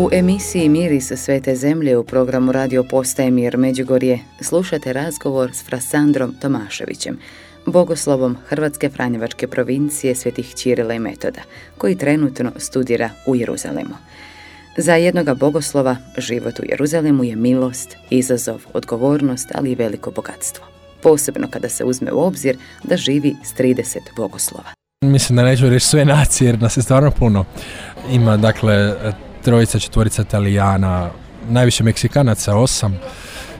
U emisiji Miris Svete zemlje u programu Radio Postaje Mir Međugorje slušate razgovor s Frasandrom Tomaševićem, bogoslovom Hrvatske Franjevačke provincije Svetih Ćirila i Metoda, koji trenutno studira u Jeruzalemu. Za jednoga bogoslova život u Jeruzalemu je milost, izazov, odgovornost, ali i veliko bogatstvo. Posebno kada se uzme u obzir da živi s 30 bogoslova. Mislim da neću reći sve nacije jer nas je stvarno puno. Ima dakle trojica, četvorica Italijana, najviše Meksikanaca, 8,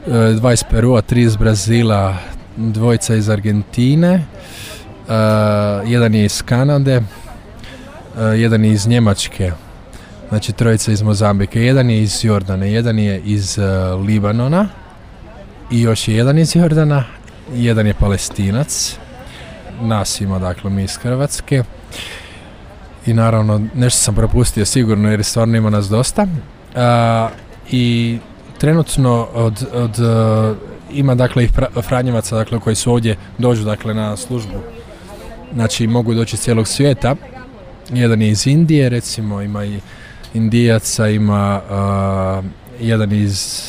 2 iz Perua, 3 iz Brazila, 2 iz Argentine, 1 je iz Kanade, 1 je iz Njemačke, znači 3 iz Mozambike, 1 je iz Jordana, 1 je iz Libanona i još je 1 iz Jordana, 1 je Palestinac, nas ima dakle mi iz Hrvatske. I naravno, nešto sam propustio sigurno jer stvarno ima nas dosta. I trenutno ima dakle i Franjevaca dakle, koji su ovdje dođu dakle, na službu. Znači mogu doći iz cijelog svijeta. 1 je iz Indije, recimo ima i Indijaca, ima 1 iz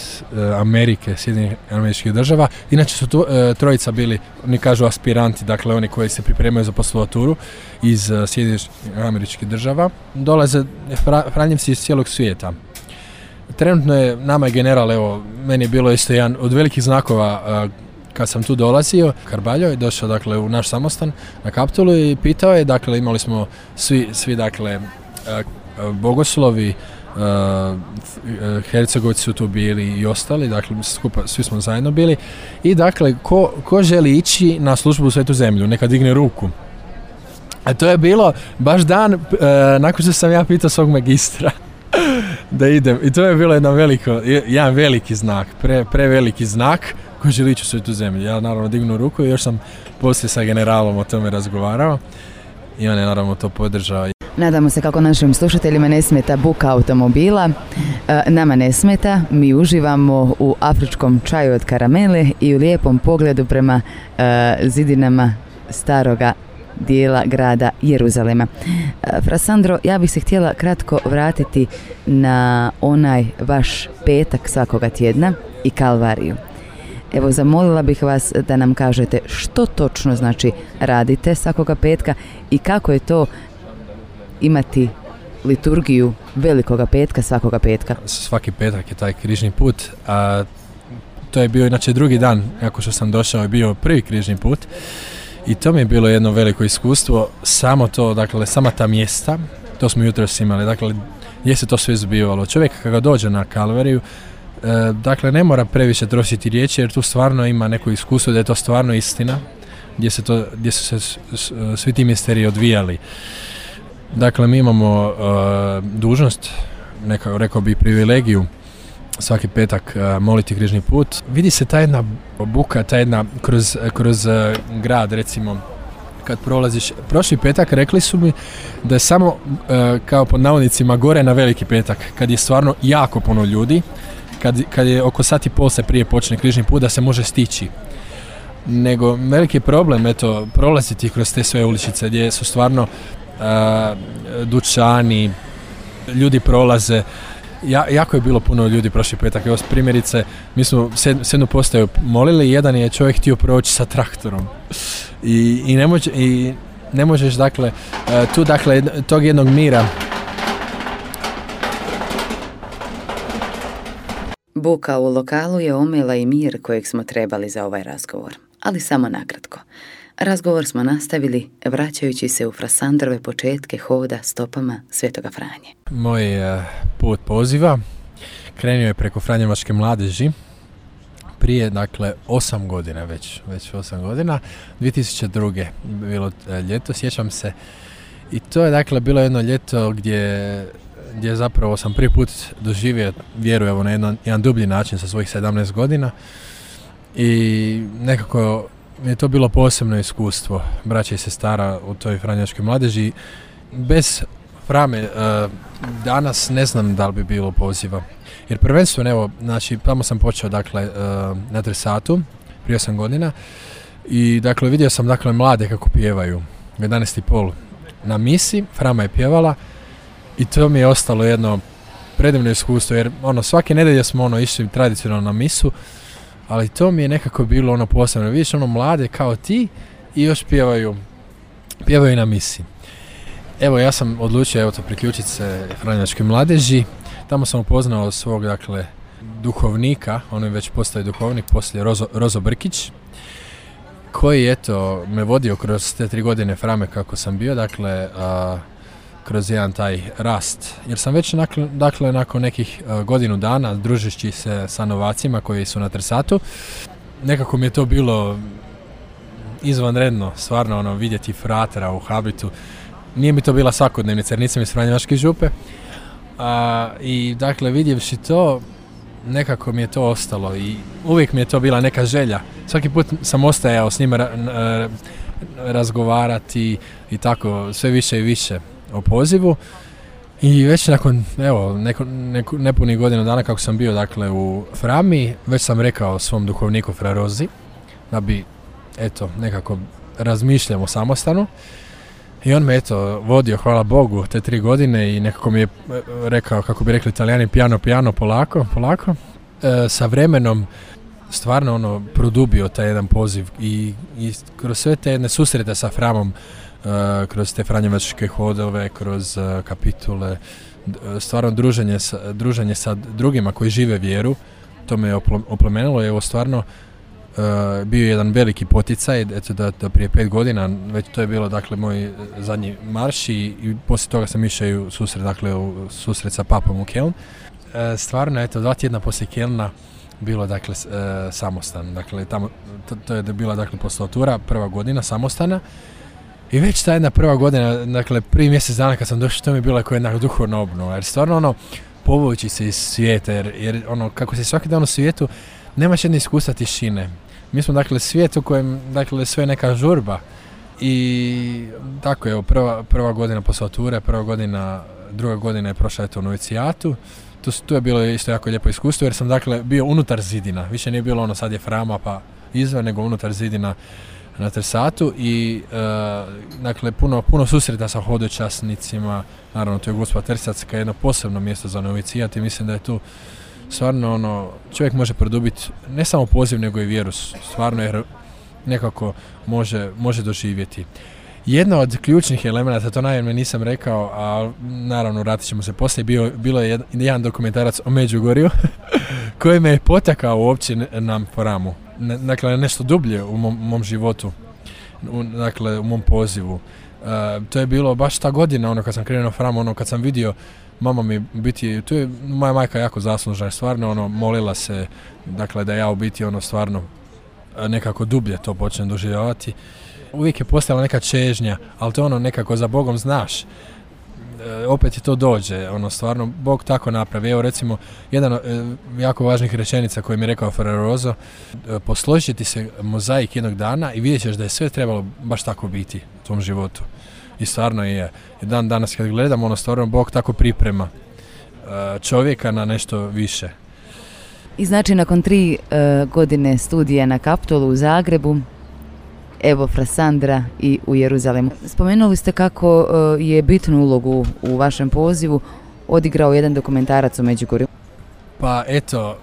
Amerike, Sjedinjenih Američkih Država. Inače su trojica bili, oni kažu aspiranti, dakle oni koji se pripremaju za poslovaturu iz Sjedinjenih Američkih Država. Dolaze Franjevci iz cijelog svijeta. Trenutno je, nama je general, evo, meni je bilo isto jedan od velikih znakova kad sam tu dolazio. Karbaljo je došao dakle u naš samostan na Kaptolu i pitao je, dakle imali smo svi dakle bogoslovi, Hercegovci su tu bili i ostali, dakle svi smo zajedno bili i dakle ko želi ići na službu u Svetu zemlju, neka digne ruku. A to je bilo baš dan nakon što sam ja pitao svog magistra da idem i to je bilo jedan veliki znak, preveliki znak ko želi ići u Svetu zemlju. Ja naravno dignu ruku i još sam poslije sa generalom o tome razgovarao i on je naravno to podržao. Nadamo se kako našim slušateljima ne smeta buka automobila. Nama ne smeta, mi uživamo u afričkom čaju od karamele i u lijepom pogledu prema zidinama staroga dijela grada Jeruzalema. Frasandro, ja bih se htjela kratko vratiti na onaj vaš petak svakoga tjedna i Kalvariju. Evo, zamolila bih vas da nam kažete što točno znači radite svakoga petka i kako je to imati liturgiju velikoga petka svakoga petka. Svaki petak je taj križni put, a to je bio inače drugi dan kako što sam došao je bio prvi križni put i to mi je bilo jedno veliko iskustvo, samo to, dakle sama ta mjesta, to smo jutros imali, dakle gdje se to sve zbivalo. Čovjek kada dođe na Kalvariju, dakle ne mora previše trošiti riječi jer tu stvarno ima neko iskustvo da je to stvarno istina, gdje su se svi ti misteriji odvijali. Dakle, mi imamo dužnost, rekao bi privilegiju, svaki petak moliti križni put. Vidi se ta jedna buka, ta jedna kroz grad, recimo, kad prolaziš. Prošli petak rekli su mi da je samo, kao pod navodnicima, gore na veliki petak, kad je stvarno jako puno ljudi, kad je oko 1:30 se prije počne križni put, da se može stići. Nego, veliki problem, eto, prolaziti kroz te sve uličice gdje su stvarno dućani, ljudi prolaze. Jako je bilo puno ljudi prošli petak. Evo primjerice, mi smo sednu postaju molili, jedan je čovjek htio proći sa traktorom. I ne možeš dakle, tu dakle, tog jednog mira. Buka u lokalu je omela i mir kojeg smo trebali za ovaj razgovor, ali samo nakratko. Razgovor smo nastavili vraćajući se u Frasandrove početke hoda stopama Svetoga Franje. Moj put poziva krenuo je preko Franjevačke mladeži prije, dakle, 8 godina, već 8 godina, 2002. bilo ljeto, sjećam se. I to je, dakle, bilo jedno ljeto gdje zapravo sam prvi put doživio vjeru, evo, na jedan dublji način sa svojih 17 godina. I nekako je to bilo posebno iskustvo, braća i sestara u toj Franjevačkoj mladeži. Bez Frame danas ne znam da li bi bilo poziva. Jer prvenstveno, evo, znači, tamo sam počeo, dakle, na Tresatu, prije 8 godina. I, dakle, vidio sam, dakle, mlade kako pjevaju. 11:30 na misi, Frama je pjevala. I to mi je ostalo jedno predivno iskustvo, jer svake nedelje smo išli tradicionalno na misu, ali to mi je nekako bilo posebno. Vidiš mlade kao ti i još pjevaju na misi. Evo, ja sam odlučio priključiti se Franjevačkoj mladeži. Tamo sam upoznao svog, duhovnika, on je već postao duhovnik poslije Rozo Brkić, koji me vodio kroz te 3 godine Frame kako sam bio, kroz jedan taj rast. Jer sam već nakon nekih godinu dana, družeći se sa novacima koji su na Trsatu, nekako mi je to bilo izvanredno, stvarno vidjeti fratera u habitu. Nije mi to bila svakodnevnica jer nisam iz Franjevačke župe. I vidjevši to, nekako mi je to ostalo i uvijek mi je to bila neka želja. Svaki put sam ostajao s njima razgovarati i tako sve više i više o pozivu. I već nakon nepunih godina dana kako sam bio u Frami, već sam rekao svom duhovniku Fra Rozi da bi nekako razmišljamo samostalno. I on me vodio, hvala Bogu, te 3 godine i nekako mi je rekao, kako bi rekli Italijani, piano, polako. Sa vremenom stvarno produbio taj jedan poziv i kroz sve te jedne susrete sa Framom, kroz te franjevačke hodove, kroz kapitule, stvarno druženje sa drugima koji žive vjeru, to me je oplemenilo i stvarno bio jedan veliki poticaj, da prije 5 godina, već to je bilo moj zadnji marš i poslije toga sam išao u susret sa papom u Keln. Stvarno, 2 tjedna poslije Kelna bilo samostan. Tamo, to je bila postulatura, prva godina samostana. I već ta jedna prva godina, prvi mjesec dana kad sam došao, to mi je bila kao jedna duhovna obnova. Jer stvarno povući se iz svijeta, jer kako si svaki dan u svijetu, nemaš jedne iskustva tišine. Mi smo svijet u kojem sve neka žurba i tako je, prva godina postulature, druga godina je prošla u novicijatu. Tu je bilo isto jako lijepo iskustvo jer sam bio unutar zidina, više nije bilo sad je Frama pa izvan, nego unutar zidina na Trsatu i puno susreta sa hodočasnicima, naravno to je Gospa Trsatska, jedno posebno mjesto za novicijat i mislim da je tu stvarno čovjek može produbiti ne samo poziv nego i vjeru, stvarno jer nekako može doživjeti. Jedna od ključnih elemenata, to naravno nisam rekao, a naravno vratit ćemo se poslije, bilo je jedan dokumentarac o Međugorju koji me je potakao uopće na Framu. Nešto dublje u mom životu, u mom pozivu. To je bilo baš ta godina, kad sam krenuo na Framu, kad sam vidio mama mi biti, tu je moja majka jako zaslužna, stvarno molila se, da ja u biti stvarno nekako dublje to počnem doživljavati. Uvijek je postala neka čežnja, ali to nekako za Bogom znaš. Opet ti to dođe, stvarno Bog tako napravi. Evo recimo, jedan jako važnih rečenica koji mi je rekao Fra Rozo, posložiti se mozaik jednog dana i vidjet ćeš da je sve trebalo baš tako biti u tom životu. I stvarno je. Dan danas kad gledam, stvarno Bog tako priprema čovjeka na nešto više. I znači nakon 3 godine studija na Kaptolu u Zagrebu, evo Frasandra i u Jeruzalemu. Spomenuli ste kako je bitnu ulogu u vašem pozivu odigrao jedan dokumentarac o Međugorju. Pa eto,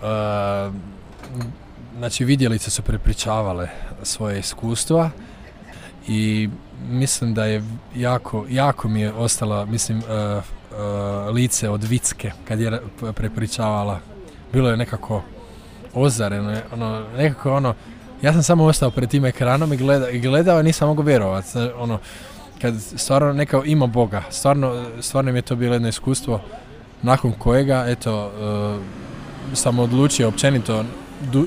vidjelice su prepričavale svoje iskustva i mislim da je jako mi je ostala, lice od Vicke kad je prepričavala. Bilo je nekako ozareno, ja sam samo ostao pred tim ekranom i gledao i nisam mogao vjerovati. Kad stvarno nekao ima Boga, stvarno mi je to bilo jedno iskustvo nakon kojega, sam odlučio općenito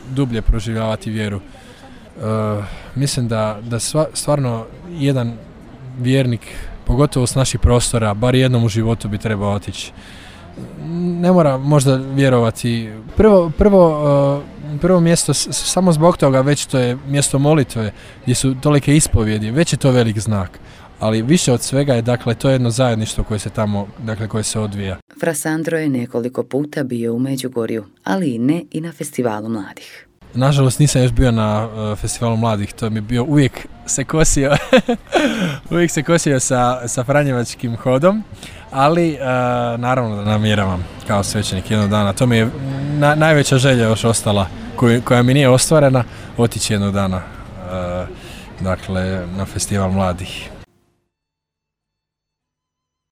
dublje proživljavati vjeru. Mislim da stvarno jedan vjernik, pogotovo s naših prostora, bar jednom u životu bi trebao otići. Ne mora možda vjerovati. Prvo mjesto, samo zbog toga, već to je mjesto molitve, gdje su tolike ispovjedi, već je to velik znak. Ali više od svega je, to je jedno zajedništvo koje se tamo, koje se odvija. Fra Sandro je nekoliko puta bio u Međugorju, ali ne i na festivalu mladih. Nažalost nisam još bio na festivalu mladih, to mi je bio uvijek se kosio sa Franjevačkim hodom, ali naravno da namjeravam kao svećenik jednog dana. To mi je najveća želja još ostala koja mi nije ostvarena, otići jednog dana dakle, na festival mladih.